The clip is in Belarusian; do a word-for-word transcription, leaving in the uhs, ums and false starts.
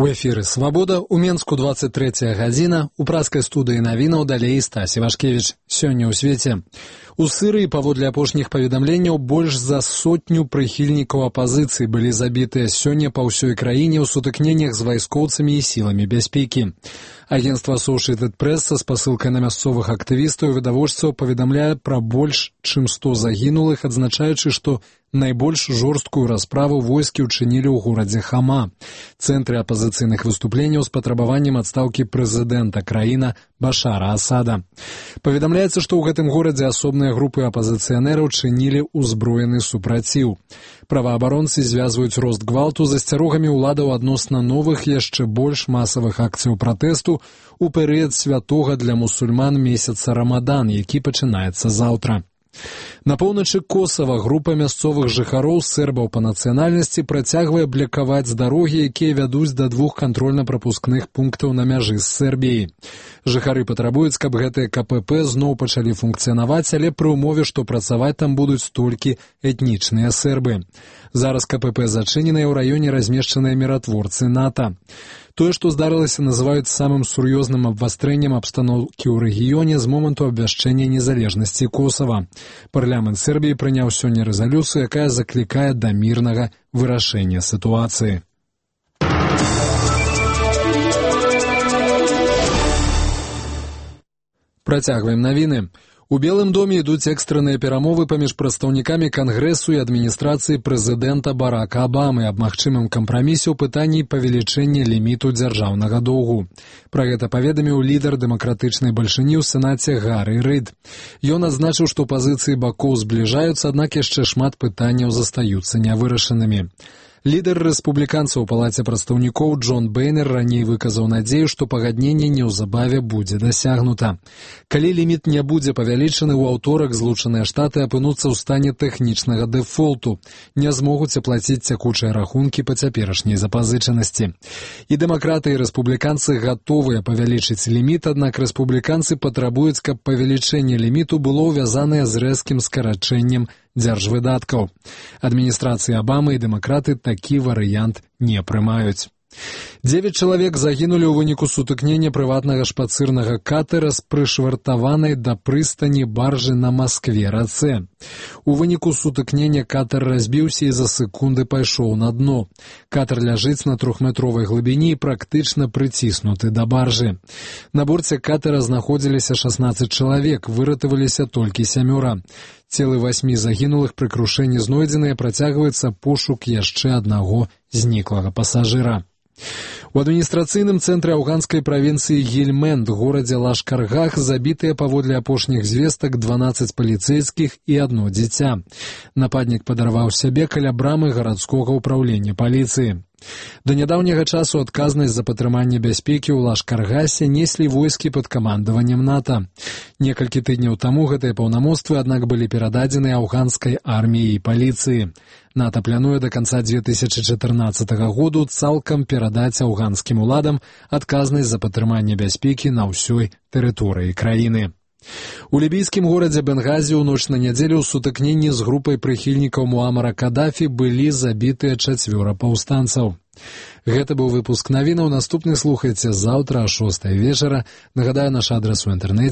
У эфіры «Свабода», у Менску двадцать трэцяя гадзіна, у праскай студыі навінаў далей Стась Івашкевіч. Сёння ў свеце. У Сырыі, паводле апошніх паведамленняў, больш за сотню прыхільнікаў апазіцыі былі забітыя сёння па ўсёй краіне ў сутыкненнях з вайскоўцамі і сіламі бяспекі. Агенцтва Associated Press са спасылкай на мясцовых актывістаў і відавочцаў паведамляе пра больш чым сто загінулых, адзначаючы, што найбольш жорсткую расправу войскі ўчынілі ў горадзе Хама, цэнтры апазіцыйных выступленняў з патрабаваннем адстаўкі прэзідэнта краіны Башара Асада. Паведамляецца, што ў гэтым горадзе асобныя групы апазіцыянераў чынілі ўзброены супраціў. Праваабаронцы звязваюць рост гвалту з асцярогамі ўладаў адносна новых яшчэ больш масавых акцыяў пратэсту у перыяд святога для мусульман месяца Рамадан, які пачынаецца заўтра. На поўначы Косава група мясцовых жыхароў сербаў па нацыянальнасці працягвае блакаваць дарогі, якія вядуць да двух кантрольна-прапускных пунктаў на мяжы з Сербіяй. Жыхары патрабуюць, каб гэтыя ка пэ пэ зноў пачалі функцыянаваць, але пры ўмове, што працаваць там будуць толькі этнічныя сербы. Зараз ка пэ пэ зачыненыя ў раёне размешчаныя міратворцы НАТО. Тое, што здарылася, называюць самым сур'ёзным абвастрэннем абстаноўкі ў рэгіёне з моманту абвяшчэння незалежнасці Косава. Парламент Сербіі прыняў сёння рэзалюцыю, якая заклікае да мірнага вырашэння сітуацыі. Працягваем навіны. У Белым доме ідуць экстранныя перамовы паміж прадстаўнікамі Кангрэсу і адміністрацыі прэзідэнта Барака Абамы аб магчымым кампрамісе ў пытанні павелічэння ліміту дзяржаўнага доўгу. Пра гэта паведаміў лідар дэмакратычнай бальшыні ў Сенаце Гары Рыд. Ён адзначыў, што пазіцыі бакоў збліжаюцца, аднак яшчэ шмат пытанняў застаюцца нявырашанымі. Лідар рэспубліканцаў у палаце прадстаўнікоў Джон Бейнер раней выказаў надзею, што пагадненне неўзабаве будзе дасягнута. Калі ліміт не будзе павялічаны, ў аўторак Злучаныя Штаты апынуцца ў стане тэхнічнага дэфолту, не змогуць аплаціць цякучыя рахункі па цяперашняй запазычанасці. І дэмакраты і рэспубліканцы гатовыя павялічыць ліміт, аднак рэспубліканцы патрабуюць, каб павелічэнне ліміту было ўвязанае з рэзкім скарачэннем дзяржвыдаткаў. Адміністрацыі Абамы і дэмакраты такі варыянт не прымаюць. Дзевяць чалавек загінулі ў выніку сутыкнення прыватнага шпацырнага катера з прышвартаванай да прыстані баржы на Маскве-рацэ. У выніку сутыкнення катер разбіўся і за секунды пайшоў на дно. Катер ляжыць на трохметровай глыбіні і практычна прыціснуты да баржы. На борце катера знаходзіліся шаснаццаць чалавек, выратаваліся толькі сямёра. Целы васьмі загінулых пры крушэнні знойдзеныя, працягваецца пошук яшчэ аднаго зніклага пасажыра. У адміністрацыйным цэнтры афганскай правінцыі Гельмэнд, горадзе Лашкаргах, забітыя паводле апошніх звестак дванаццаць паліцэйскіх і адно дзіця. Нападнік падарваў сябе каля брамы гарадскога ўпраўлення паліцыі. Да нядаўняга часу адказнасць за падтрыманне бяспекі ў Лашкаргасе неслі войскі пад камандаваннем НАТО. Некалькі тыдняў таму гэтыя паўнамоцтвы, аднак, былі перададзены афганскай арміі і паліцыі. НАТО плануе да канца дзве тысячы чатырнаццатага году цалкам перадаць афганскім уладам адказнасць за падтрыманне бяспекі на ўсёй тэрыторыі краіны. У лібійскім горадзе Бенгазі ў ноч на нядзелю ў сутыкненні з групай прыхільнікаў Муамара Кадафі былі забітыя чацвёра паўстанцаў. Гэта быў выпуск навінаў. Наступны слухайце заўтра а шостай вечара. Нагадаю, наш адрас у інтэрнэце